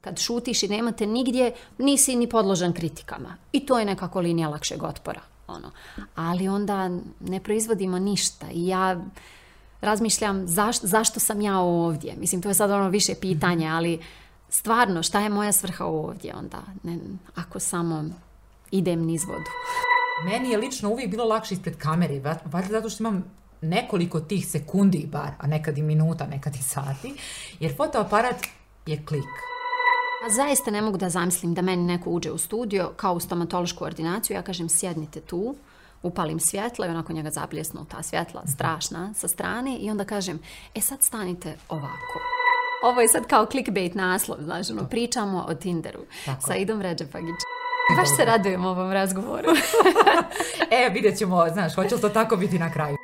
Kad šutiš i nemate nigdje, nisi ni podložan kritikama. I to je nekako linija lakšeg otpora. Ali onda ne proizvodimo ništa. I ja razmišljam zašto sam ja ovdje. Mislim, to je sad više pitanje, ali stvarno, šta je moja svrha ovdje onda? Ako samo idem niz vodu. Meni je lično uvijek bilo lakše ispred kamere, valjda zato što imam nekoliko tih sekundi bar, a nekad i minuta, nekad i sati, jer fotoaparat je klik. A zaista ne mogu da zamislim da meni neko uđe u studio kao u stomatološku ordinaciju, ja kažem sjednite tu, upalim svjetlo i onako njega zabljesnu ta svjetla strašna sa strane i onda kažem, sad stanite ovako. Ovo je sad kao clickbait naslov, znaš, pričamo o Tinderu sa Idom Redžepagić. Baš se radujem ovom razgovoru. Vidjet ćemo, znaš, hoće li to tako biti na kraju.